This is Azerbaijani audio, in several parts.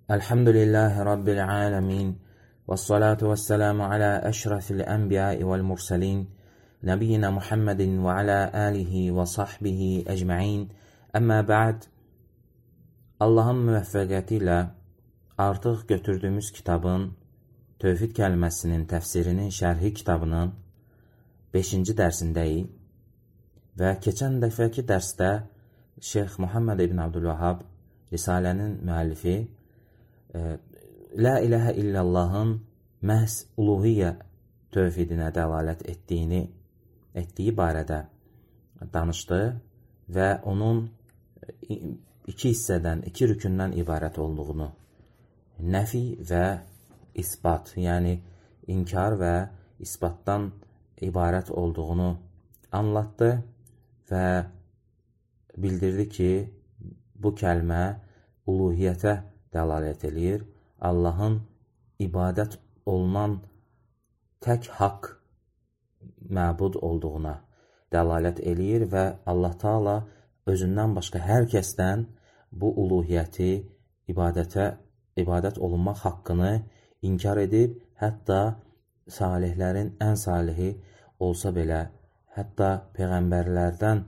Elhamdülillahi Rabbil alemin. Vessalatu vesselamu ala eşrefil enbiyai vel murselin. Nebiyyina Muhammedin ve ala alihi ve sahbihi ecma'in. Əmmə ba'd. Allahın müvəffəqiyyəti ilə artıq götürdüyümüz kitabın, Tövhid kəlməsinin təfsirinin şərhi kitabının 5-ci dərsindəyik. Və keçən dəfəki dərsdə Şeyx Muhammed ibn Abdülvahhab, Risalənin müəllifi, La ilahə illallahın məhz uluhiyyə tövhidinə dəlalət etdiyi barədə danışdı və onun iki hissədən, iki rükündən ibarət olduğunu, nəfi və isbat, yəni inkar və isbatdan ibarət olduğunu anlattı və bildirdi ki, bu kəlmə uluhiyyətə dəlalət edir. Allahın ibadət olunan tək haqq məbud olduğuna dəlalət edir və Allah Taala özündən başqa hər kəsdən bu uluhiyyəti, ibadət olunmaq haqqını inkar edib, hətta salihlərin ən salihi olsa belə, hətta peyğəmbərlərdən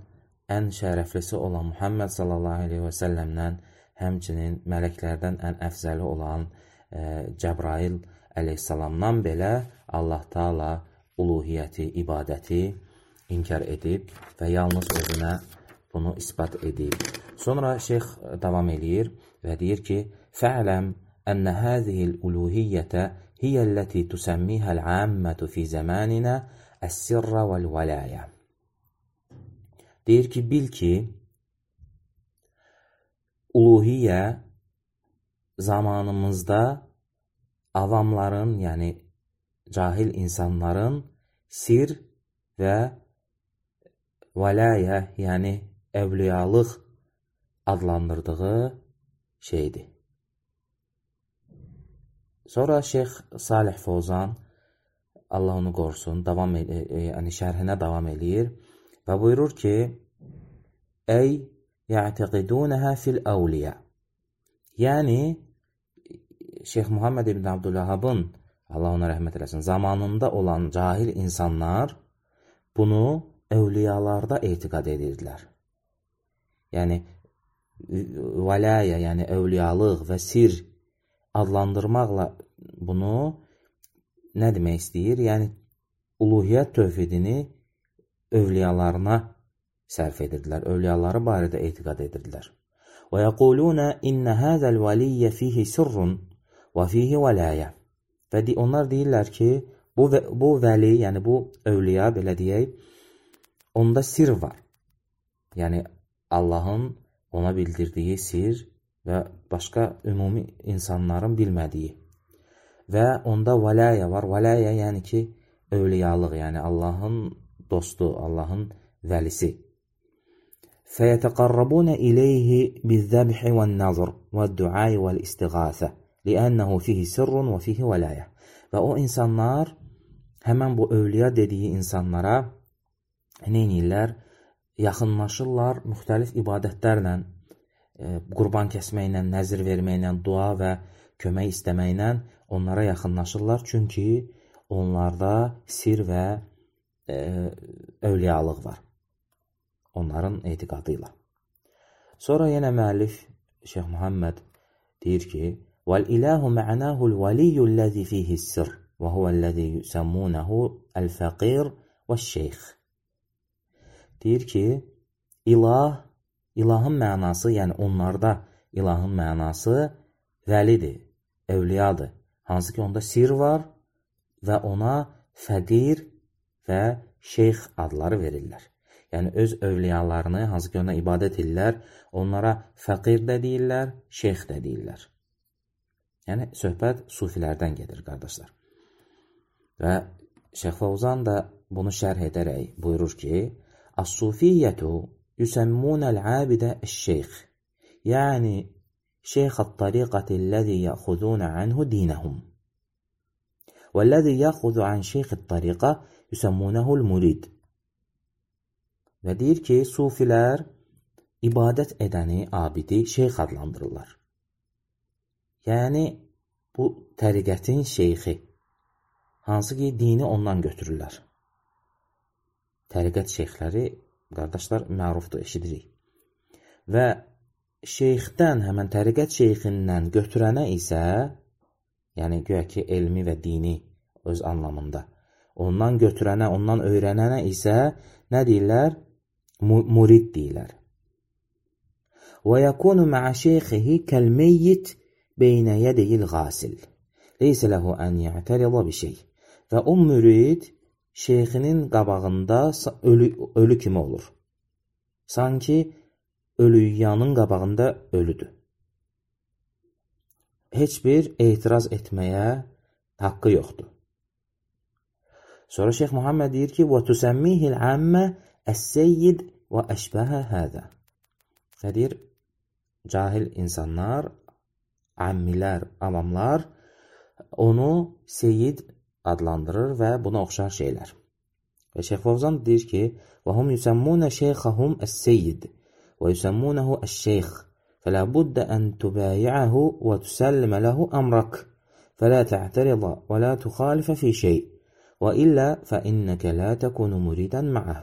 ən şərəflisi olan Muhammed sallallahu aleyhi və səlləmdən, həmçinin mələklərdən ən əfzəli olan Cəbrail əleyhissalamdan belə Allah Taala uluhiyyəti, ibadəti inkar edib və yalnız özünə bunu isbat edib. Sonra şeyx davam edir və deyir ki, fə'ləm ənə həzihil uluhiyyətə hiyəlləti tüsəmmihəl əmmətu fi zəmanina əs-sirrə vəl-vəlayə. Deyir ki, bil ki, uluhiyyə zamanımızda avamların, yəni cahil insanların sir və vəlayə, yəni əvliyalıq adlandırdığı şeydir. Sonra Şeyx Salih Fovzan, Allah onu qorusun, şərhinə davam edir və buyurur ki, ey ya'təqidunəhə fil-əvliyə. Yəni, Şeyx Muhammed ibn Abdülvahhabın, Allah ona rəhmət eləsin, zamanında olan cahil insanlar bunu əvliyalarda etiqad edirdilər. Yəni, vəlayə, yəni əvliyalıq və sir adlandırmaqla bunu nə demək istəyir? Yəni, uluhiyyət tövhidini övliyalarına sərf edirdilər, övliyaları barədə etiqad edirdilər. Və yəquluna innə həzəl vəliyyə fihi sirrun və fihi vəlayə. Və onlar deyirlər ki, bu vəli, yəni bu övliya, belə deyək, onda sir var. Yəni Allahın ona bildirdiyi sir və başqa ümumi insanların bilmədiyi. Və onda vəlayə var. Vəlayə yəni ki, övliyalıq, yəni Allahın dostu, Allahın vəlisi. فَيَتَقَرَّبُونَ إِلَيْهِ بِالذَّبْحِ وَالنَّظْرِ وَالدُّعَاءِ وَالْإِسْتِغَاثَةِ لِأَنَّهُ فِيهِ سِرٌّ وَفِيهِ وَلَايَةٌ. Və o insanlar, həmən bu övliya dediyi insanlara neynirlər? Yaxınlaşırlar müxtəlif ibadətlərlə, qurban kəsməklə, nəzir verməklə, dua və kömək istəməklə onlara yaxınlaşırlar. Çünki onlarda sir və övliyalıq var. Onların etiqadı ilə. Sonra yenə müəllif Şeyx Muhammed deyir ki, وَالْإِلَهُ مَعْنَاهُ الْوَلِيُّ الَّذِي فِيهِ السِّرْ وَهُوَ الَّذِي يُسَمُّونَهُ الْفَقِيرُ وَالشَّيْخِ. Deyir ki, ilahın mənası, yəni onlarda ilahın mənası vəlidir, əvliyadır. Hansı ki, onda sir var və ona fəqir və şeyx adları verirlər. Yəni, öz övliyalarını, hansı ki, ona ibadət edirlər, onlara fəqir də deyirlər, şeyx də deyirlər. Yəni, söhbət sufilərdən gedir, qardaşlar. Və Şeyx Fovzan da bunu şərh edərək buyurur ki, As-sufiyyətu yüsəmmunəl-abidə əş-şeyx. Yəni, şeyx-ət-tariqəti-ləzi yəxudunə anhu dinəhum. Və-ləzi yəxudu an şeyx-ət-tariqə yüsəmmunəhul-murid. Və deyir ki, sufilər ibadət edəni, abidi şeyx adlandırırlar. Yəni, bu təriqətin şeyxi, hansı ki, dini ondan götürürlər. Təriqət şeyxləri, qardaşlar, mərufdur, eşidirik. Və şeyxdən, həmən təriqət şeyxindən götürənə isə, yəni güya ki, elmi və dini öz anlamında, ondan götürənə, ondan öyrənənə isə nə deyirlər? Murid deyirlər. وَيَكُونُ مَعَ شَيْخِهِ كَالْمَيِّتِ بَيْنَ يَدَيِ الْغَاسِلِ لَيْسَ لَهُ أَنْ يَعْتَرِضَ بِشَيْءٍ. Və o mürid şeyxinin qabağında ölü kimi olur. Sanki ölüyanın qabağında ölüdür. Heç bir etiraz etməyə haqqı yoxdur. Sonra Şeyx Muhammed deyir ki, وَتُسَمِّهِ الْعَامَّ السَّيِّدِ وَأَشْبَهَ هَذَا. Və deyir, cahil insanlar, ammilər, avamlar onu seyyid adlandırır və buna oxşar şeylər. Və Şeyx Fovzan deyir ki, وَهُمْ يُسَمُّونَ شَيْخَهُمْ السَّيِّدِ وَيُسَمُّونَهُ الشَّيْخِ فَلَا بُدَّ أَنْ تُبَايِعَهُ وَتُسَلِّمَ لَهُ أَمْرَكَ فَلَا تَعْتَرِضَ وَلَا تُخَالِفَ فِي شَيْءٍ وَإِلَّا فَإِنَّكَ لَا تَكُونُ مُرِيدًا مَعَهُ.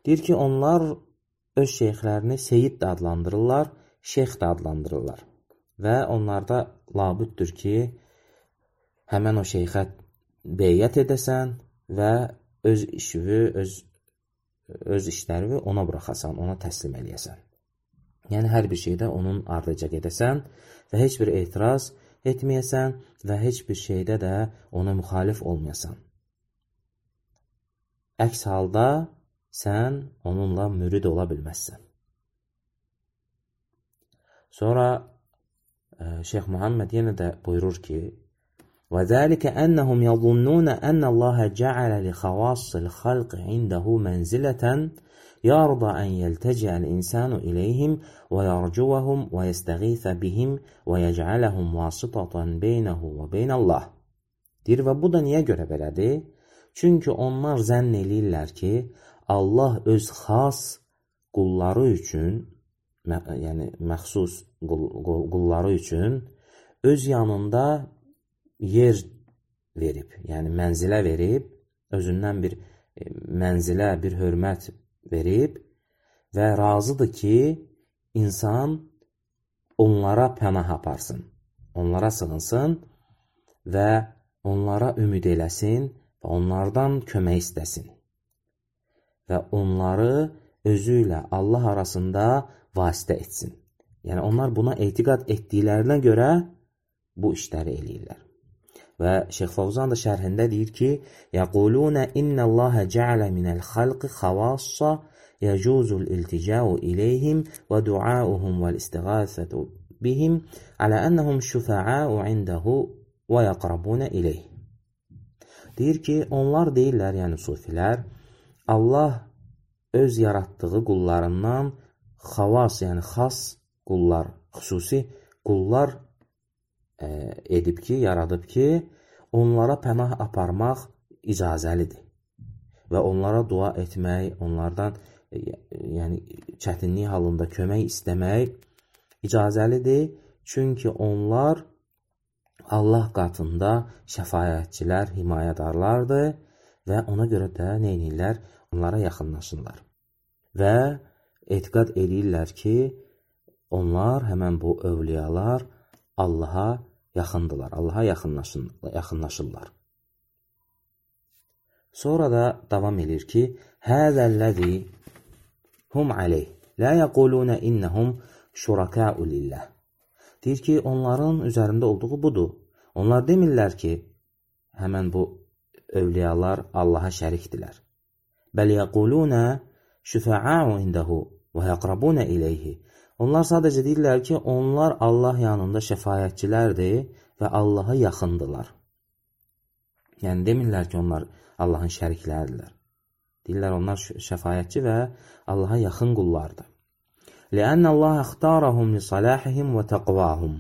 Deyir ki, onlar öz şeyxlərini seyyid də adlandırırlar, şeyx də adlandırırlar. Və onlarda labüddür ki, həmən o şeyxə beyyət edəsən və öz işini, öz işlərini ona buraxasan, ona təslim eləyəsən. Yəni, hər bir şeydə onun ardıca gedəsən və heç bir etiraz etməyəsən və heç bir şeydə də ona müxalif olmayasan. Əks halda sən onunla mürid ola bilməzsən. Sonra Şeyx Muhammed yenə də buyurur ki, وَذَلِكَ أَنَّهُمْ يَظُنُّونَ أَنَّ اللَّهَ جَعَلَ لِخَوَاصِّ الْخَلْقِ عِنْدَهُ مَنْزِلَةً يَرْضَى أَنْ يَلْتَجِعَ الْإِنسَانُ إِلَيْهِمْ وَيَرْجُوَهُمْ وَيَسْتَغِيثَ بِهِمْ وَيَجْعَلَهُمْ وَاسِطَةً بَيْنَهُ وَبَيْنَ اللَّهِ. Deyir, və bu da niyə görə belədir? Çünki onlar zənn eləyirlər ki, Allah öz xas qulları üçün, yəni məxsus qulları üçün öz yanında yer verib, yəni mənzilə verib, özündən bir mənzilə, bir hörmət verib və razıdır ki, insan onlara pənah aparsın, onlara sığınsın və onlara ümid eləsin və onlardan kömək istəsin və onları özü ilə Allah arasında vasitə etsin. Yəni, onlar buna etiqad etdiklərinə görə bu işləri eləyirlər. Və Şeyx Fovzan da şərhində deyir ki, يَقُولُونَ إِنَّ اللَّهَ جَعَلَ مِنَ الْخَلْقِ خَوَاصَّ يَجُوزُ الْإِلْتِجَاءُ إِلَيْهِمْ وَدُعَاؤُهُمْ وَالْإِسْتِغَاثَةُ بِهِمْ عَلَى أَنَّهُمْ شُفَعَاءُ عِنْدَهُ وَيَقْرَبُونَ إِلَيْهِ. Deyir ki, onlar deyirlər, yəni sufilər, Allah öz yaratdığı qullarından xavas, yəni xas qullar, xüsusi qullar edib ki, yaradıb ki, onlara pənah aparmaq icazəlidir. Və onlara dua etmək, onlardan yəni çətinlik halında kömək istəmək icazəlidir. Çünki onlar Allah qatında şəfaətçilər, himayədarlardır və ona görə də nə edirlər? Onlara yaxınlaşırlar. Və etiqad edirlər ki, onlar, həmən bu övliyalar Allaha yaxındılar, Allaha yaxınlaşırlar. Sonra da davam edir ki, Həzəlləzi hum aleyh, la yəqulunə innəhum şurakəu lilləh. Deyir ki, onların üzərində olduğu budur. Onlar demirlər ki, həmən bu övliyalar Allaha şərikdirlər. Bəl yəqulunə şüfə'u indəhu və yəqrabunə iləyhi. Onlar sadəcə deyirlər ki, onlar Allah yanında şəfayətçilərdir və Allaha yaxındılar. Yəni, demirlər ki, onlar Allahın şərikləridirlər. Deyirlər, onlar şəfayətçi və Allaha yaxın qullardır. لأن الله اختارهم لصلاحهم وتقواهم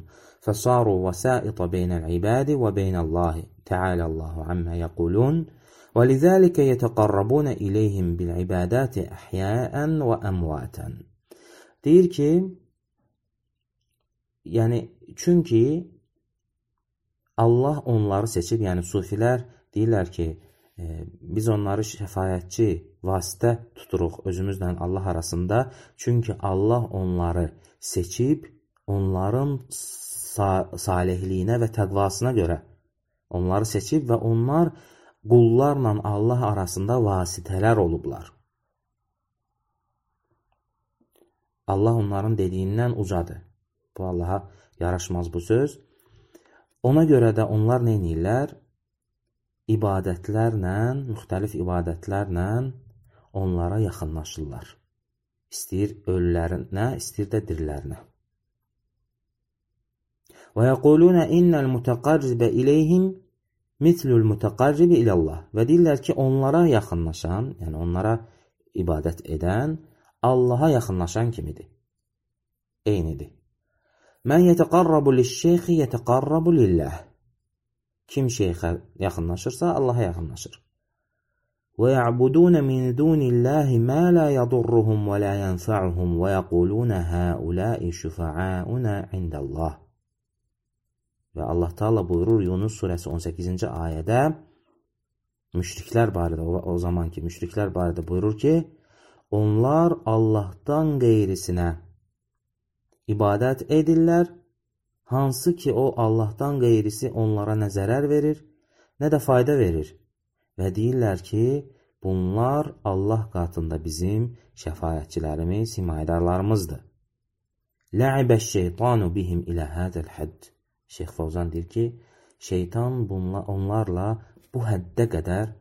فصاروا وسائط بين العباد وبين الله تعالى الله عما يقولون ولذلك يتقربون إليهم بالعبادات أحياء وأمواتا. Deyir ki, yəni çünki Allah onları seçib, yəni sufilər deyirlər ki, biz onları şəfaətçi, vasitə tuturuq özümüzlə Allah arasında. Çünki Allah onları seçib, onların salihliyinə və təqvasına görə onları seçib və onlar qullarla Allah arasında vasitələr olublar. Allah onların dediyindən ucadır. Bu Allaha yaraşmaz bu söz. Ona görə də onlar nə edirlər? İbadətlərlə, müxtəlif ibadətlərlə onlara yaxınlaşırlar. İstəyir ölülərinə, istəyir də dirilərinə. Və yəqulunə innəl mütəqarribə iləyhim mitlul mütəqarribi ilallah. Və deyirlər ki, onlara yaxınlaşan, yəni onlara ibadət edən, Allaha yaxınlaşan kimidir. Eynidir. Mən yətəqarrabu liş-şeyxi yətəqarrabu lillah. Kim şeyxə yaxınlaşırsa, Allaha yaxınlaşır. Və ya'budun min dunillahi ma la yadurruhum və la yanfa'uhum və yəqulun haula'i şufa'auna indallah. Və Allah Taala buyurur Yunus surəsi 18-ci ayədə müşriklər barədə, o zamanki müşriklər barədə buyurur ki, onlar Allahdan qeyrisinə ibadət edirlər, hansı ki o Allahdan qeyrisi onlara nə zərər verir, nə də fayda verir. Və deyirlər ki, bunlar Allah qatında bizim şəfaətçilərimiz, himayədarlarımızdır. Lə'ibəş-şeytanu bihim ilə hədəl hədd. Şeyx Fovzan deyir ki, şeytan onlarla bu həddə qədər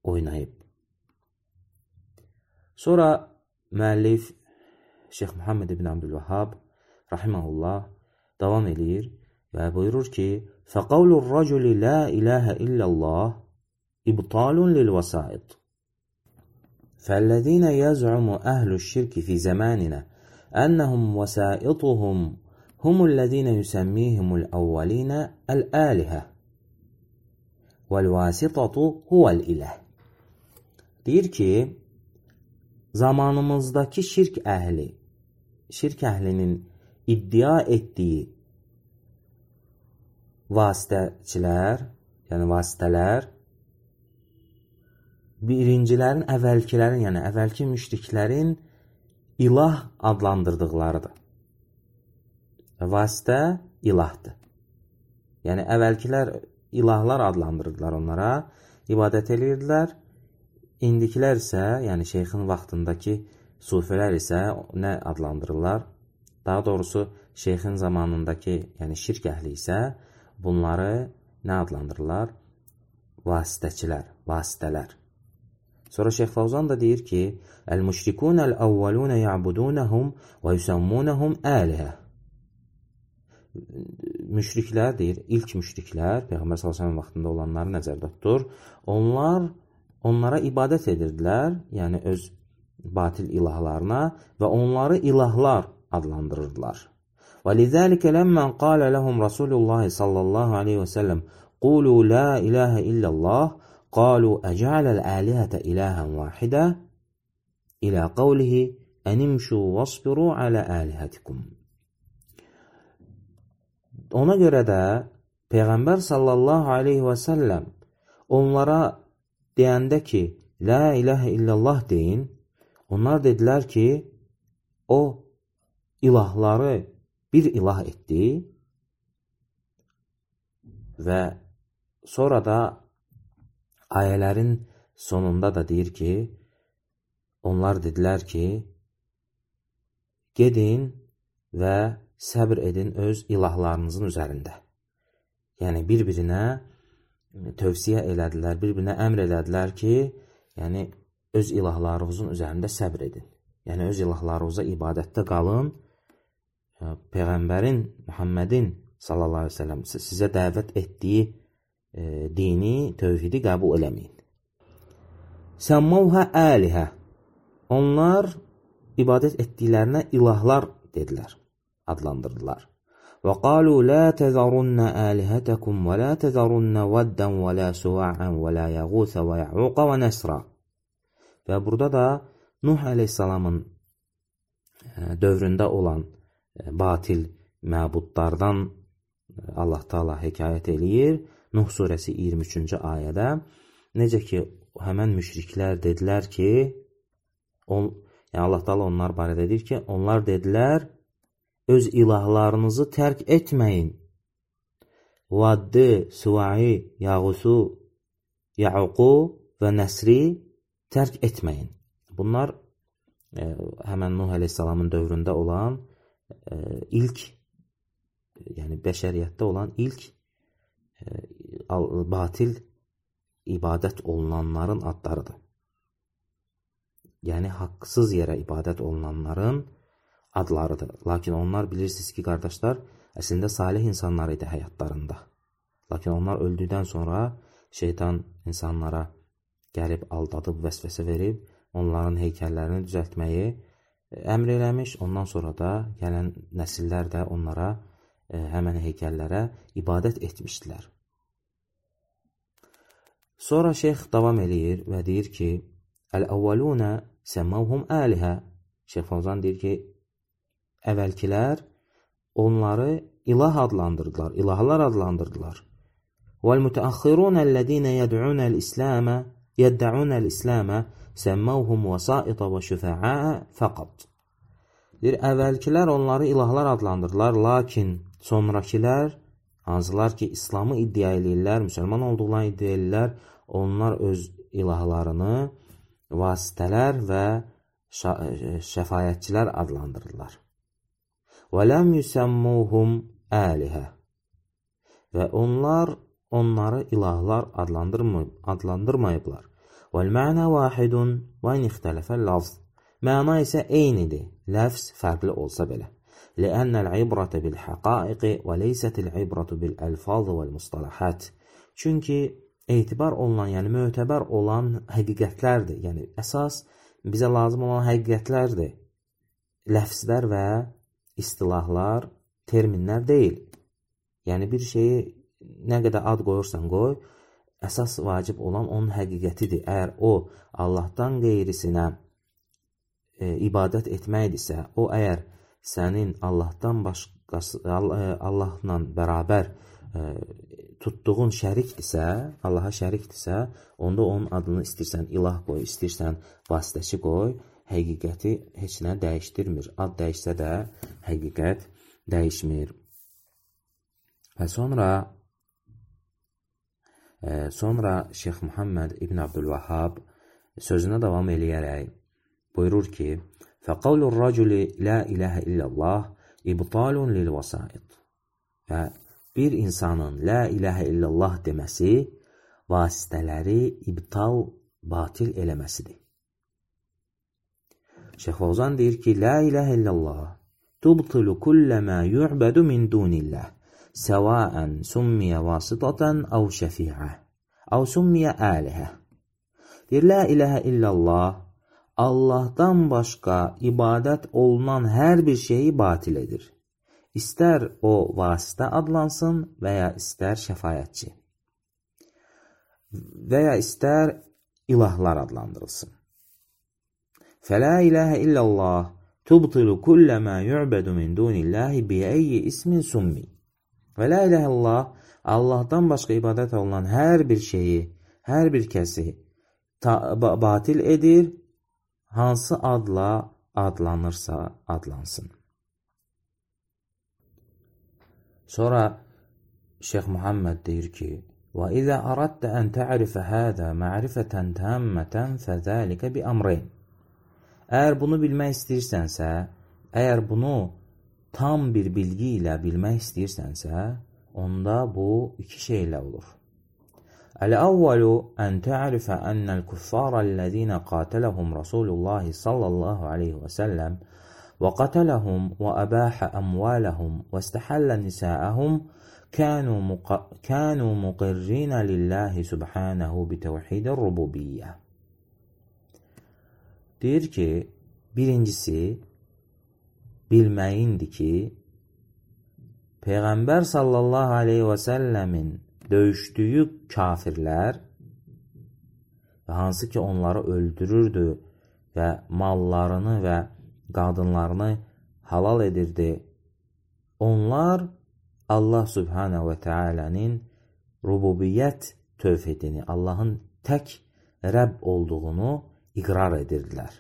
oynayıb. Sonra müəllif Şeyx Muhammed ibn Abdülvahhab rahimehullah davam edir və buyurur ki, فَقَوْلُ الرَّجُلِ لَا إِلَٰهَ إِلَّا اللّٰهِ إِبْطَالٌ لِلْوَسَائِطِ فَالَّذِينَ يَزْعُمُ أَهْلُ الشِّرْكِ فِي زَمَانِنَا أَنَّهُمْ وَسَائِطُهُمْ هُمُ الَّذِينَ يُسَمِّيهِمُ الْأَوَّلِينَ الْآلِهَةِ وَالْوَاسِطَةُ هُوَ الْإِلَهِ. Deyir ki, zamanımızdakı şirk əhlinin iddia etdiyi vasitəçilər, yəni vasitələr, birincilərin, əvvəlkilərin, yəni əvvəlki müşriklərin ilah adlandırdıqlarıdır. Vasitə ilahdır. Yəni əvvəlkilər ilahlar adlandırdılar onlara, ibadət edirdilər. İndikilər isə, yəni şeyxin vaxtındakı sufilər isə nə adlandırırlar? Daha doğrusu şeyxin zamanındakı, yəni şirk əhli isə bunları nə adlandırırlar? Vasitəçilər, vasitələr. Sonra Şeyx Fovzan da deyir ki, Əl-müşrikunəl-əvvəlunə ya'budunəhum və yusammunəhum əlihə. Müşriklər deyir, ilk müşriklər, Peyğəmbər s.ə.v vaxtında olanları nəzərdə tutur. Onlar onlara ibadət edirdilər, yəni öz batil ilahlarına və onları ilahlar adlandırırdılar. وَلِذَٰلِكَ لَمَّنْ قَالَ لَهُمْ رَسُولُ اللّٰهِ صَلَّى اللّٰهُ عَلَيْهِ وَسَلَّمْ قُولُوا لَا إِلَٰهَ إِلَّا اللّٰهِ قَالُوا أَجَعَلَ الْآلِهَةَ إِلَٰهًا وَاحِدًا إِلَى قَوْلِهِ أَنِمْشُوا وَاصْبِرُوا عَلَى آلِهَتِكُمْ. Ona görə də Peyğəmbər sallallahu aleyhi və səlləm onlara deyəndə ki, La ilahə illallah deyin, onlar dedilər ki, o ilahları bir ilah etdi və sonra da ayələrin sonunda da deyir ki, onlar dedilər ki, gedin və səbr edin öz ilahlarınızın üzərində. Yəni, bir-birinə tövsiyə elədilər, bir-birinə əmr elədilər ki, yəni, öz ilahlarınızın üzərində səbr edin. Yəni, öz ilahlarınıza ibadətdə qalın. Peyğəmbərin, Muhammedin sallallahu aleyhi ve sellem sizə dəvət etdiyi dini, tövhidi qəbul eləməyin. Səmmavhə əlihə. Onlar ibadət etdiklərinə ilahlar dedilər, adlandırdılar. Və qalu la təzərunnə əlihətəkum və la təzərunnə vəddən və la suva'ən və la yəğusə və yə'uqa və nəsra. Və burada da Nuh əleyhissalamın dövründə olan batil məbudlardan Allah Taala hekayət eləyir Nuh surəsi 23-cü ayədə. Necə ki, həmən müşriklər dedilər ki, yəni Allah Taala onlar barədə deyir ki, onlar dedilər, öz ilahlarınızı tərk etməyin. Vaddi, Suvai, Yağusu, Ya'uqu və Nəsri tərk etməyin. Bunlar həmən Nuh əleyhissalamın dövründə olan ilk, yəni bəşəriyyətdə olan ilk batil ibadət olunanların adlarıdır. Yəni haqsız yerə ibadət olunanların adlarıdır. Lakin onlar bilirsiniz ki, qardaşlar, əslində salih insanlar idi həyatlarında. Lakin onlar öldükdən sonra şeytan insanlara gəlib aldadıb, vəsvəsə verib, onların heykəllərini düzəltməyi əmr eləmiş. Ondan sonra da gələn nəsillər də onlara, həmən heykəllərə ibadət etmişdilər. Sonra şeyx davam eləyir və deyir ki, Əl-əvvəlunə səmmavhum əlihə. Şeyx Fəvzan deyir ki, əvvəlkilər onları ilah adlandırdılar, ilahlar adlandırdılar. وَالْمُتَأَخِّرُونَ الَّذ۪ينَ يَدَّعُونَ الْإِسْلَامَ سَمَّوْهُمْ وَسَائِطَ وَشُفَعَاءَ فَقَطْ. Deyir, əvvəlkilər onları ilahlar adlandırdılar, lakin sonrakilər, hansılar ki, İslamı iddia edirlər, müsəlman olduqlarını iddia edirlər, onlar öz ilahlarını vasitələr və şəfayətçilər adlandırırlar. وَلَمْ يُسَمُّوهُمْ آلِهَ. Və onlar onları ilahlar adlandırmayıblar. وَالْمَعْنَى وَاحِدٌ وَاِنْ اِخْتَلَفَ اللَّفْظ. Məna isə eynidir, ləfz fərqli olsa belə. لأن العبرة بالحقائق وليست العبرة بالألفاظ والمصطلحات. Çünki etibar olunan, yəni mötəbər olan həqiqətlərdir. Yəni əsas bizə lazım olan həqiqətlərdir. Ləfzlər və istilahlar, terminlər deyil. Yəni bir şeyi nə qədər ad qoyursan qoy, əsas vacib olan onun həqiqətidir. Əgər o Allahdan qeyrisinə ibadət etməkdirsə, o əgər sənin Allahdan başqası, Allahla bərabər tutduğun şərikdirsə, Allaha şərikdirsə, onda onun adını istəyirsən ilah qoy, istəyirsən vasitəçi qoy, həqiqəti heç nə dəyişdirmir. Ad dəyişsə də həqiqət dəyişmir. Və sonra Şeyx Muhammed İbn Abdülvahhab sözünə davam eləyərək buyurur ki, فَقَوْلُ الرَّجُلِ لَا إِلَهَ إِلَّا اللّٰهِ إِبْطَالٌ لِلْوَسَائِطِ. Və bir insanın la ilahə illallah deməsi vasitələri ibtal, batil eləməsidir. Şeyx Fəvzan deyir ki, la ilahə illallah tubtilu kullə mə yu'bədu min dunillah, səvaən summiyə vasitatan əv şəfi'ə, əv summiyə əlihə. Deyir, la ilahə illallah Allahdan başqa ibadət olunan hər bir şeyi batil edir. İstər o vasitə adlansın və ya istər şəfayətçi və ya istər ilahlar adlandırılsın. Fələ ilahə illallah tubtilu kullə mə yu'bədu min dunillahi bi'əyyi ismin summi. Və la ilahə illallah Allahdan başqa ibadət olunan hər bir şeyi, hər bir kəsi batil edir, hansı adla adlanırsa adlansın. Sonra Şeyx Muhammed deyir ki, وَإِذَا أَرَدْتَ أَنْ تَعْرِفَ هَذَا مَعْرِفَةً تَامَّةً فَذَلِكَ بِأَمْرَيْنِ. Əgər bunu bilmək istəyirsənsə, əgər bunu tam bir bilgi ilə bilmək istəyirsənsə, onda bu iki şeylə olur. Əl-əvvəlu ən tə'rifə ənəl kuffara-ləzīnə qatiləhum Rasulullahi sallallahu aleyhi və səlləm və qatiləhum və əbəhə əmvələhum və istəhəllə nisəəhum kənu muqirrinə lillahi subhanəhu bitəvhidə rububiyyə. Deyir ki, birincisi bilməyindir ki, Peyğəmbər sallallahu aleyhi və səlləmin döyüşdüyü kafirlər və hansı ki onları öldürürdü və mallarını və qadınlarını halal edirdi, onlar Allah Subhanahu və Teala'nın rububiyyət tövhidini, Allahın tək Rəbb olduğunu iqrar edirdilər.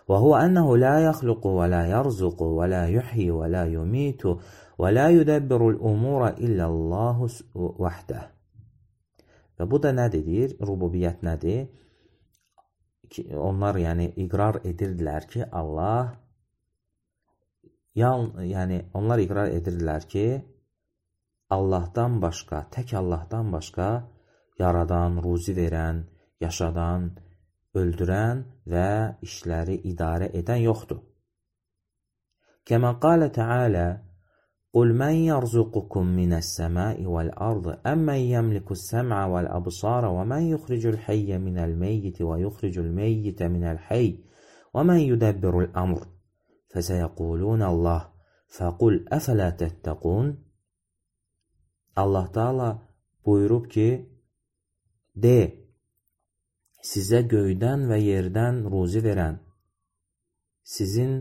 Və huwa annahu la yakhluqu və la yarzuqu və la yuhyi və la yumitu və la yudabbiru al-umura illa Allahu vahdah. Və bu da nə deyir? Rububiyyət nədir? Onlar yəni iqrar edirdilər ki, onlar iqrar edirdilər ki, Allahdan başqa, tək Allahdan başqa yaradan, ruzi verən, yaşadan, öldürən və işləri idarə edən yoxdur. Kəmə qalə Teala: "Qul men yerzuqukum mine's-semai vel-ardı emmen yemlikus-sem'a vel-absara ve men yukhrijul-hayya minel-meyyiti ve yukhrijul-meyyite minel-hayy ve men yudabbirul-amr feseyekulunallah faqul efela tettekun." Allah Teala buyurub ki, de, sizə göydən və yerdən ruzi verən, sizin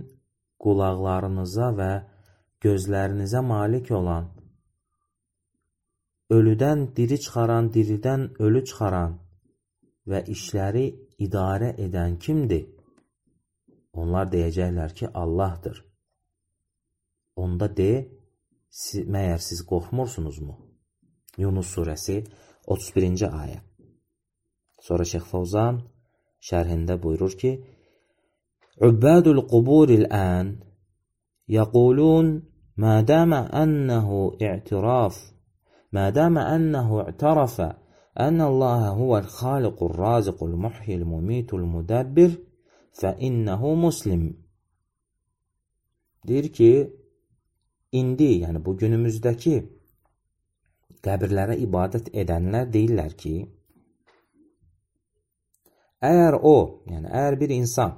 qulaqlarınıza və gözlərinizə malik olan, ölüdən diri çıxaran, diridən ölü çıxaran və işləri idarə edən kimdir? Onlar deyəcəklər ki, Allahdır. Onda de, məyər siz qorxmursunuzmu? Yunus surəsi 31-ci ayə. Sonra Şeyx Fawzan şərhində buyurur ki, "Ubbadul quburil an yaqulun ma dama annahu i'tarafa anna Allah huwal khaliqur raziqul muhyil mumitul mudabbir fa innahu muslim." Deyir ki, indi, yəni bu günümüzdəki qəbirlərə ibadət edənlər deyirlər ki, əgər bir insan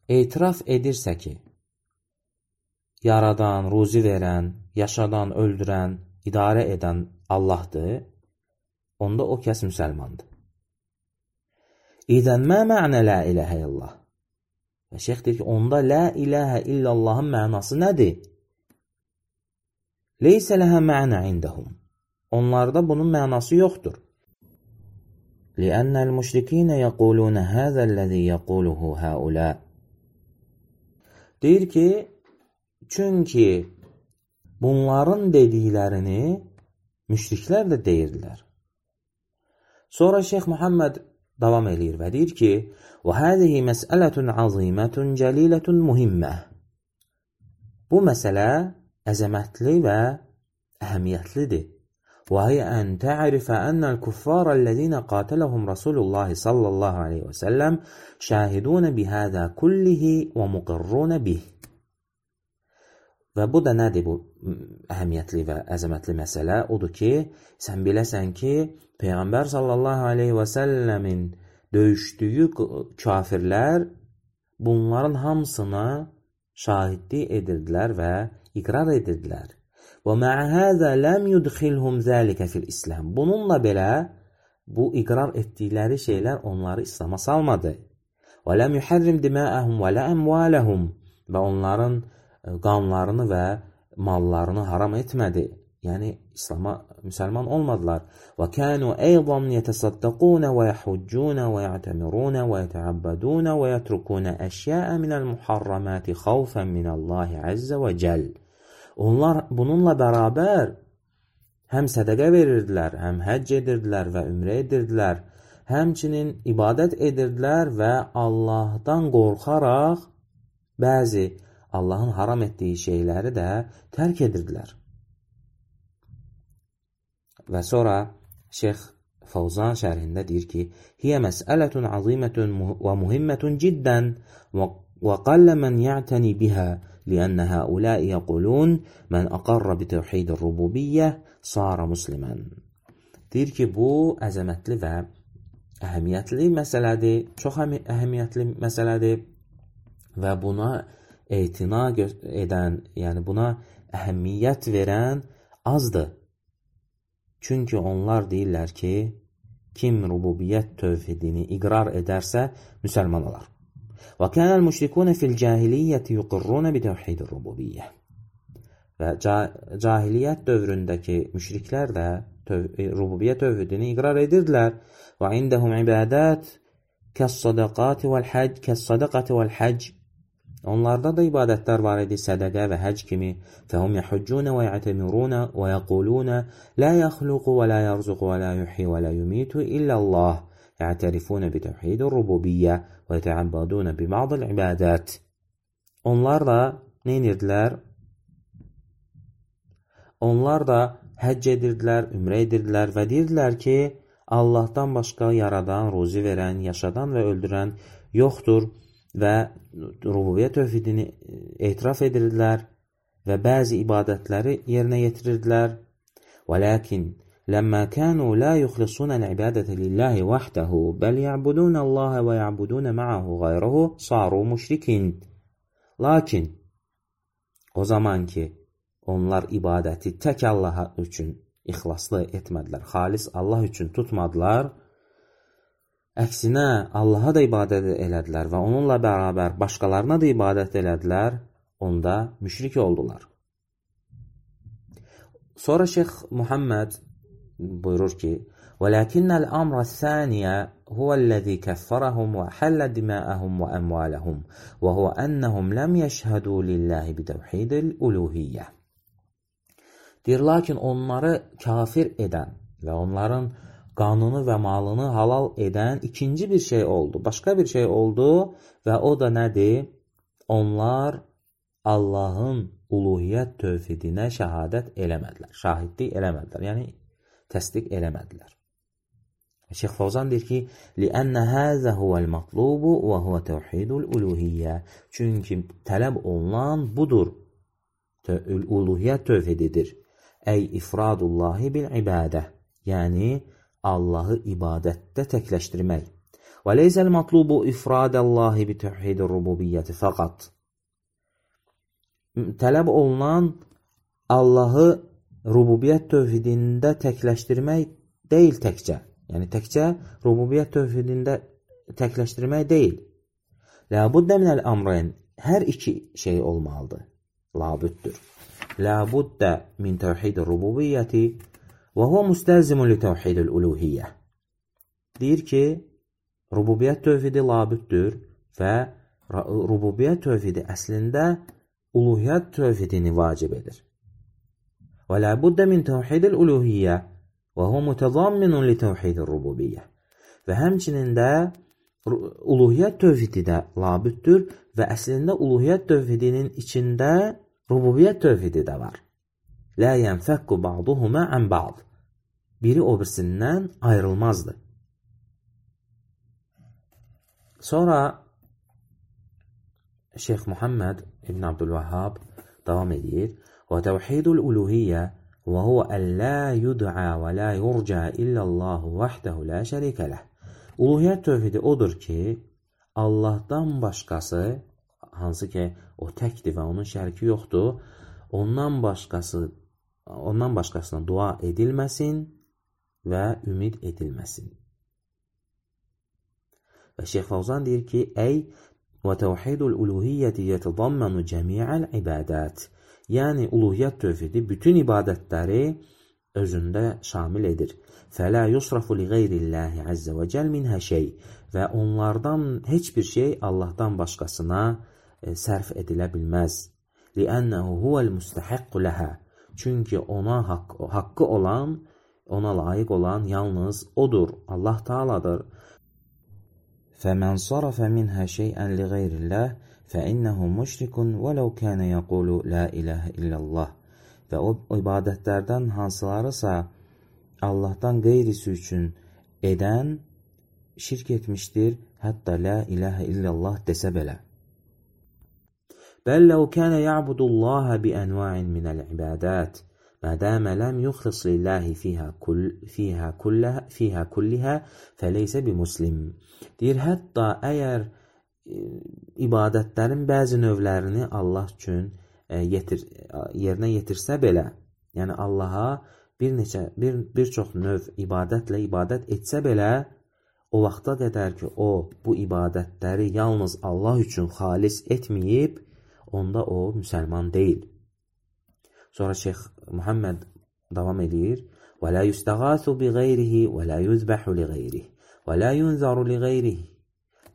etiraf edirsə ki, yaradan, ruzi verən, yaşadan, öldürən, idarə edən Allahdır, onda o kəs müsəlmandır. İdən mə mə'nə la iləhə illallah? Və şeyx deyir ki, onda la iləhə illallahın mənası nədir? Leysə ləhə mə'nə indəhum. Onlarda bunun mənası yoxdur. Liənnəl müşrikinə yəqulunə həzəlləzi yəquluhu həulə. Deyir ki, çünki bunların dediklərini müşriklər də deyirlər. Sonra Şeyx Muhammed davam edir və deyir ki, وَهَذِهِ مَسْأَلَةٌ عَظِيمَةٌ جَلِيلَةٌ مُهِمَّةٌ. Bu məsələ əzəmətli və əhəmiyyətlidir. وَهِيَ أَنْ تَعْرِفَ أَنَّ الْكُفَّارَ الَّذِينَ قَاتَلَهُمْ رَسُولُ اللّٰهِ صَلَّى اللّٰهِ عَلَيْهِ وَسَلَّمْ شَاهِدُونَ بِهَذَا كُلِّهِ وَمُقِرُّونَ بِهِ. Və bu da nədir bu əhəmiyyətli və əzəmətli məsələ? Odur ki, sən biləsən ki, Peyğəmbər sallallahu aleyhi və səlləmin döyüşdüyü kafirlər bunların hamısına şahidlik edirdilər və iqrar edirdilər. Və mə'ə həzə ləm yudxilhum zəlikə fil-İslam. Bununla belə bu iqrar etdikləri şeylər onları İslama salmadı. Və ləm yuhərrim diməəhum və lə əmvaləhum. Və onların qanlarını və mallarını haram etmədi. Yəni, İslama müsəlman olmadılar. Və kənu əйضًا yətəsaddaqun və yəhüccun və yətəmirun və yətəəbbədun və yətrukun əşyəə minəl muharramati xavfən minəllahi əzzə və cəl. Onlar bununla bərabər həm sədəqə verirdilər, həm həcc edirdilər və ümrə edirdilər, həmçinin ibadət edirdilər və Allahdan qorxaraq bəzi Allahın haram etdiyi şeyləri də tərk edirdilər. Və sonra Şeyx Fawzan şərhində deyir ki, "Hiyə məsələtun azimətun və muhimmətun ciddən və qallə mən ya'təni bihə liənnə həuləi yəqulun mən aqarra bitəvhidir rububiyyə sara muslimən." Deyir ki, bu əzəmətli və əhəmiyyətli məsələdir, çox əhəmiyyətli məsələdir və buna etina edən, yəni buna əhəmiyyət verən azdır. Çünki onlar deyirlər ki, kim rububiyyət tövhidini iqrar edərsə, müsəlman olar. Və kənəl müşrikunə fil cahiliyyəti yuqirrunə bitəvhidir rububiyyə. və cahiliyyət dövründəki müşriklər də rububiyyə tövhidini iqrar edirdilər. Və indəhum ibadət kəs-sadaqati vəl-hac. Onlarda da ibadətlər var idi, sədəqə və həc kimi. Fəhum yəhüccunə və yətəmirunə və yəqulunə lə yəxluqu və lə yərzuqu və lə yuhyi və lə yumitu illəllah. Yətərifunə bitəvhidir rububiyyə və yətəəbbadunə bibadil ibadət. Onlar da nə edirdilər? Onlar da həcc edirdilər, ümrə edirdilər və deyirdilər ki, Allahdan başqa yaradan, ruzi verən, yaşadan və öldürən yoxdur və rububiyyə tövhidini etiraf edirdilər və bəzi ibadətləri yerinə yetirirdilər. وَلَكِنْ لَمَّا كَانُوا لَا يُخْلِصُونَ الْعِبَادَةَ لِلَّهِ وَحْدَهُ بَلْ يَعْبُدُونَ اللَّهَ وَيَعْبُدُونَ مَعَهُ غَيْرَهُ صَارُوا مُشْرِكِينَ. Lakin o zaman ki onlar ibadəti tək Allaha üçün ixlaslı etmədilər, xalis Allah üçün tutmadılar, əksinə Allaha da ibadət elədilər və onunla bərabər başqalarına da ibadət elədilər, onda müşrik oldular. Sonra Şeyx Muhammed buyurur ki, وَلَكِنَّ الْأَمْرَ الثَّانِيَ هُوَ الَّذِي كَفَّرَهُمْ وَحَلَّ دِمَاءَهُمْ وَأَمْوَالَهُمْ وَهُوَ أَنَّهُمْ لَمْ يَشْهَدُوا لِلَّهِ بِتَوْحِيدِ الْأُلُوهِيَّةِ. Deyir, lakin onları kafir edən və onların qanunu və malını halal edən ikinci bir şey oldu. Başqa bir şey oldu və o da nədir? Onlar Allahın uluhiyyət tövhidinə şəhadət eləmədilər. Şahidlik eləmədilər, yəni təsdiq eləmədilər. Şeyx Fawzan deyir ki, لِأَنَّ هَذَا هُوَ الْمَطْلُوبُ وَهُوَ تَوْحِيدُ الْأُلُوهِيَّةِ. Çünki tələb olunan budur. Uluhiyyət tövhididir. Əy ifradullahi bil ibadə. Yəni Allahı ibadətdə təkləşdirmək. Və leyzəl matlubu ifradallahi bi tevhidir rububiyyəti fəqat. Tələb olunan Allahı rububiyyət tövhidində təkləşdirmək deyil təkcə. Yəni təkcə rububiyyət tövhidində təkləşdirmək deyil. Ləbuddə minəl amrayn. Hər iki şey olmalıdır. Labüddür. Labuddə min tevhidir rububiyyəti və huvə müstəlzimun li tevhidil uluhiyyə. Deyir ki, rububiyyət tövhidi labüddür və rububiyyət tövhidi əslində uluhiyyət tövhidini vacib edir. Və labuddə min tevhidil uluhiyyə və huvə mütəzamminun li tevhidir rububiyyə. Və həmçinin də uluhiyyət tövhidi də labüddür və əslində uluhiyyət tövhidinin içində rububiyyət tövhidi də var. Lə yənfəkku ba'duhuma ən ba'd. Biri o birisindən ayrılmazdır. Sonra Şeyx Muhammed İbn Abdülvahhab davam edir. Və təvhidul uluhiyyə və huvə ən lə yud'a və lə yurca illəllahu vəhdəhu lə şərikə ləh. Uluhiyyət tövhidi odur ki, Allahdan başqası, hansı ki o təkdir və onun şəriki yoxdur, ondan başqasına dua edilməsin və ümid edilməsin. Və Şeyx Fawzan deyir ki, əy və təvhidul uluhiyyəti yətədammanu cəmi'əl ibadət. Yəni, uluhiyyət tövhidi bütün ibadətləri özündə şamil edir. Fələ yusrafu li qeyrillahi əzzə və cəl minhə şey. Və onlardan heç bir şey Allahdan başqasına sərf edilə bilməz. Li'ənəhu huvəl müstəhiqqu ləhə. Çünki ona haqqı olan, ona layiq olan yalnız odur, Allah Taala'dır. Fəmən sarafə minhə şeyən li qeyrilləh fəinnəhu müşrikun vələv kənə yəqulu la iləhə illallah. Və o ibadətlərdən hansılarısa Allahdan qeyrisi üçün edən şirk etmişdir, hətta la iləhə illallah desə belə. Bəl ləv kənə ya'budullaha bi ənva'in minəl ibadət mədəmə ləm yuxlis lillahi fiyhə kullihə fəleysə bi muslim. Deyir, hətta əgər ibadətlərin bəzi növlərini Allah üçün yerinə yetirsə belə, yəni Allaha bir çox növ ibadətlə ibadət etsə belə, o vaxta qədər ki, o bu ibadətləri yalnız Allah üçün xalis etməyib, onda o müsəlman deyil. Sonra Şeyx Muhammed davam edir. Və la yustəğasu bi qeyrihi və la yuzbəhu li qeyrihi və la yunzaru li qeyrihi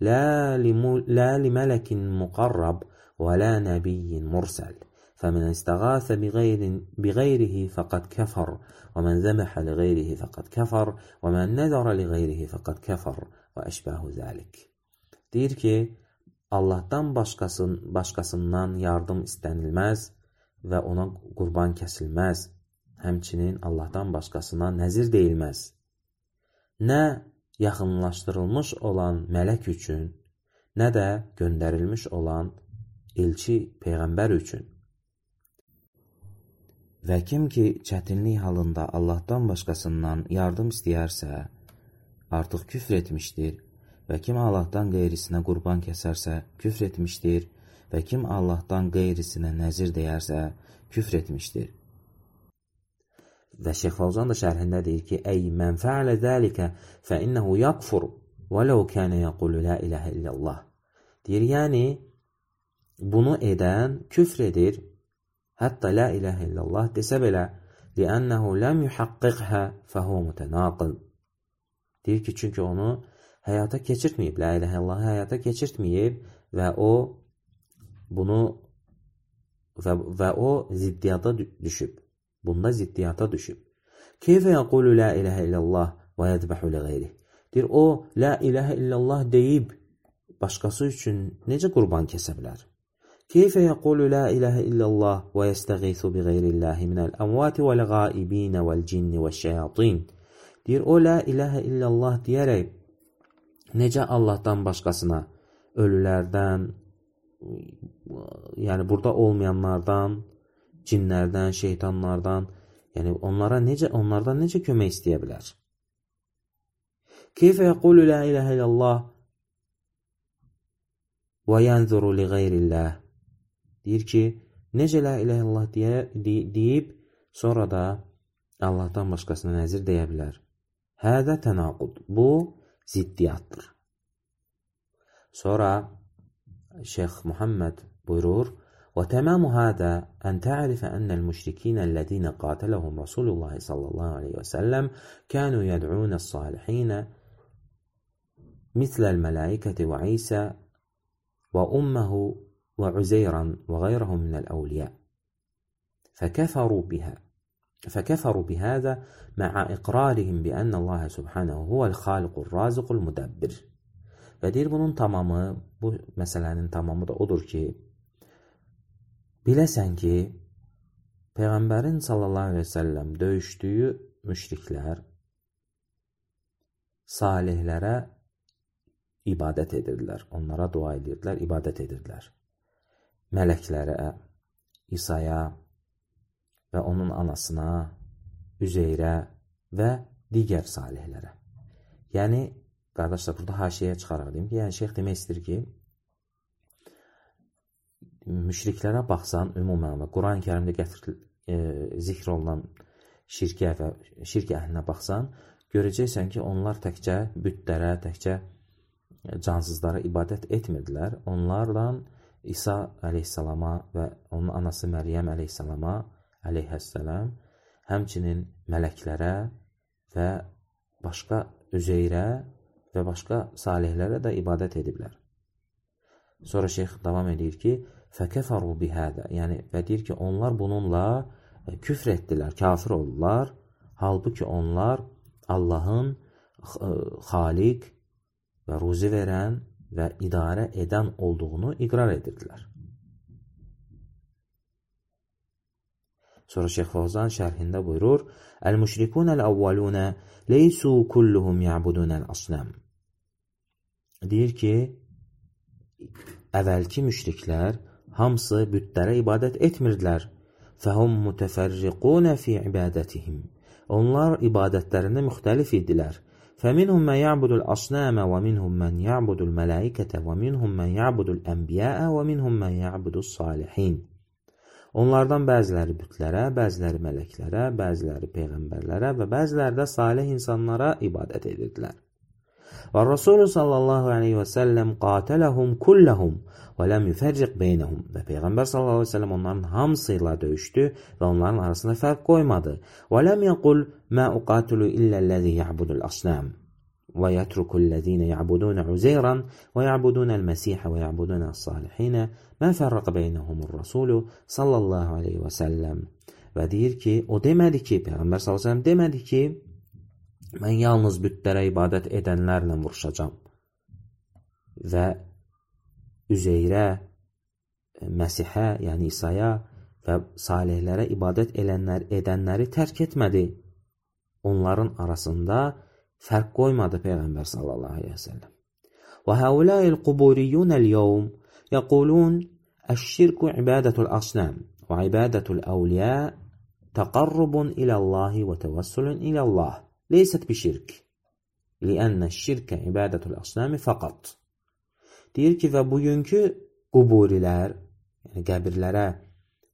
la li mələkin muqarrab və la nəbiyyin mursəl. فمن استغاث بغيره فقد كفر ومن ذبح لغيره فقد كفر ومن نذر لغيره فقد كفر وأشباه ذلك. Deyir ki, Allahdan başqasından yardım istənilməz və ona qurban kəsilməz. Həmçinin Allahdan başqasına nəzir deyilməz. Nə yaxınlaşdırılmış olan mələk üçün, nə də göndərilmiş olan elçi, peyğəmbər üçün. Və kim ki, çətinlik halında Allahdan başqasından yardım istəyərsə, artıq küfr etmişdir. Və kim Allahdan qeyrisinə qurban kəsərsə, küfr etmişdir. Və kim Allahdan qeyrisinə nəzir deyərsə, küfr etmişdir. Və Şeyx Fawzan da şərhində deyir ki, Ey mən fəalə zəlikə fəinnəhu yakfur və ləv kənə yəqulu la iləhə illallah. Deyir, yəni, bunu edən küfr edir. Hətta la iləhə illallah desə belə, li'annəhu ləm yuhaqqiqhə fəhvə mütənaqıl. Deyir ki, çünki onu həyata keçirtməyib, la iləhə illallahı həyata keçirtməyib və o bunu və o ziddiyata düşüb. Bunda ziddiyata düşüb. Keyfə yəqulu la iləhə illallah və yədbəhu li qeyrih. Deyir, o la iləhə illallah deyib başqası üçün necə qurban kəsə bilər? Keyfə yəqulu la iləhə illallah və yəstəğisu bi qeyrillahi minəl əmvati vəl-qaibinə vəl-cinni vəl-şəyatin. Deyir, o la iləhə illallah deyərək necə Allahdan başqasına, ölülərdən, yəni burada olmayanlardan, cinlərdən, şeytanlardan, yəni onlardan necə kömək istəyə bilər? Keyfə yəqulu la iləhə illallah və yənzuru li qeyrillah. Deyir ki, necə la iləhə illallah deyib, sonra da Allahdan başqasına nəzir deyə bilər. Hədə tənaqud. Bu, ziddiyyatdır. Sonra Şeyx Muhammed buyurur, وتمام هذا أن تعرف أن المشركين الذين قاتلهم رسول الله صلى الله عليه وسلم كانوا يدعون الصالحين مثل الملائكة وعيسى وأمه وعزيرا وغيرهم من الأولياء فكفروا بهذا مع إقرارهم بأن الله سبحانه هو الخالق الرازق المدبر. Və deyir, bunun tamamı, bu məsələnin tamamı da odur ki, biləsən ki, Peyğəmbərin sallallahu aleyhi ve sellem döyüşdüyü müşriklər salihlərə ibadət edirdilər. Onlara dua edirdilər, ibadət edirdilər. Mələklərə, İsa'ya və onun anasına, Üzeyrə və digər salihlərə. Yəni, qardaşlar, burada haşiyə çıxaraq deyim ki, yəni şeyx demək istəyir ki, müşriklərə baxsan, ümumən və Quran-ı Kərimdə zikr olunan şirkə və şirk əhlinə baxsan, görəcəksən ki, onlar təkcə bütlərə, təkcə cansızlara ibadət etmirdilər. Onlardan İsa əleyhissalama və onun anası Məryəm əleyhəssələm, həmçinin mələklərə və başqa Üzeyrə və başqa salihlərə də ibadət ediblər. Sonra şeyx davam edir ki, fəkəfəru bihədə, yəni və deyir ki, onlar bununla küfr etdilər, kafir oldular, halbuki onlar Allahın xaliq və ruzi verən və idarə edən olduğunu iqrar edirdilər. Sonra Şeyx Fawzan şərhində buyurur, Əl-müşrikunəl-əvvəlunə leysu kulluhum ya'budunəl-asnəm. Deyir ki, əvvəlki müşriklər hamısı bütlərə ibadət etmirdilər. Fəhum mütəfərriqunə fi ibadətihim. Onlar ibadətlərində müxtəlif idilər. فَمِنْهُمْ مَنْ يَعْبُدُ الْأَصْنَامَ وَمِنْهُمْ مَنْ يَعْبُدُ الْمَلَائِكَةَ وَمِنْهُمْ مَنْ يَعْبُدُ الْأَنْبِيَاءَ وَمِنْهُمْ مَنْ يَعْبُدُ الصَّالِحِينَ. Onlardan bəziləri bütlərə, bəziləri mələklərə, bəziləri peyğəmbərlərə və bəziləri də salih insanlara ibadət edirdilər. Və Rasulü sallallahu aleyhi və səlləm qatiləhum kulləhum və ləm yüfərriq beynəhum. Və Peyğəmbər sallallahu aleyhi və səlləm onların hamısıyla döyüşdü və onların arasında fərq qoymadı. Və ləm yəqul mə uqatilu illəlləzi ya'budul asnam və yətrukullezine ya'budun Uzeyran və ya'budun el-Məsihə və ya'budun el-Salihinə mə fərraq beynəhumur Rasulü sallallahu aleyhi və səlləm. Və deyir ki, o demədi ki, Peyğəmbər sallallahu aleyhi və səlləm demədi ki, mən yalnız bütlərə ibadət edənlərlə vuruşacam və Üzeyrə, Məsihə, yəni İsa'ya və salihlərə ibadət edənləri tərk etmədi. Onların arasında fərq qoymadı Peyğəmbər sallallahu aleyhi və səlləm. Və həuləil quburiyyunəl yevm yəqulun əş-şirku ibadətul asnam və ibadətul əvliya təqarrubun iləllahi və təvəssülün ilallah. Leysət bi şirk. Liənnə şirkə ibadətul asnami fəqat. Deyir ki, və bugünkü quburilər, yəni qəbirlərə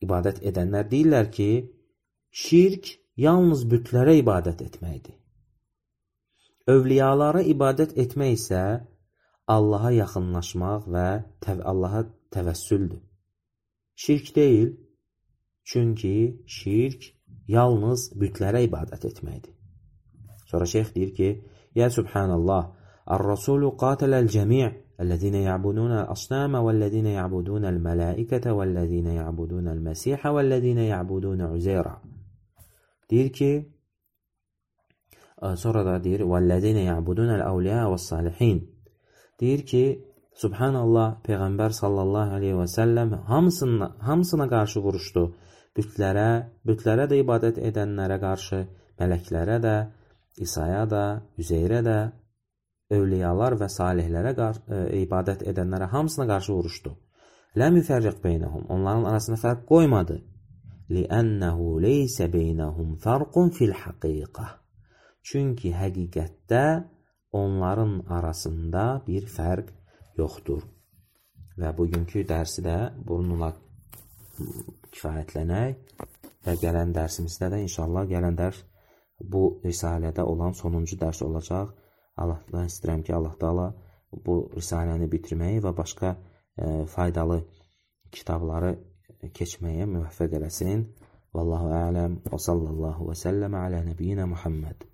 ibadət edənlər deyirlər ki, şirk yalnız bütlərə ibadət etməkdir. Övliyalara ibadət etmək isə Allaha yaxınlaşmaq və Allaha təvəssüldür. Şirk deyil, çünki şirk yalnız bütlərə ibadət etməkdir. Sonra şeyx deyir ki, ya subhanallah, ar-rasulu qatiləl cəmi' الذين يعبدون الأصنام والذين يعبدون الملائكة والذين يعبدون المسيح والذين يعبدون عزيرا. Deyir ki, sonra da deyir والذين يعبدون الأولياء والصالحين. Deyir ki, subhanallah, Peyğəmbər sallallahu aleyhi və səlləm hamısına qarşı vuruşdu. Bütlərə də ibadət edənlərə qarşı, mələklərə də, İsa'ya da, Üzeyrə də, övliyalar və salihlərə ibadət edənlərə hamısına qarşı vuruşdu. Ləm yüfərriq beynəhum. Onların arasında fərq qoymadı. Liənnəhu leysə beynəhum fərqun fil haqiqə. Çünki həqiqətdə onların arasında bir fərq yoxdur. Və bugünkü dərsi də bununla kifayətlənək və gələn dərsimizdə də inşallah gələn dərs bu risalədə olan sonuncu dərs olacaq. Allahdan istəyirəm ki, Allah Taala bu risaləni bitirməyi və başqa faydalı kitabları keçməyə müvəffəq eləsin. Vallahu a'lam və sallallahu və səlləmə alə nəbiyyinə Muhammed.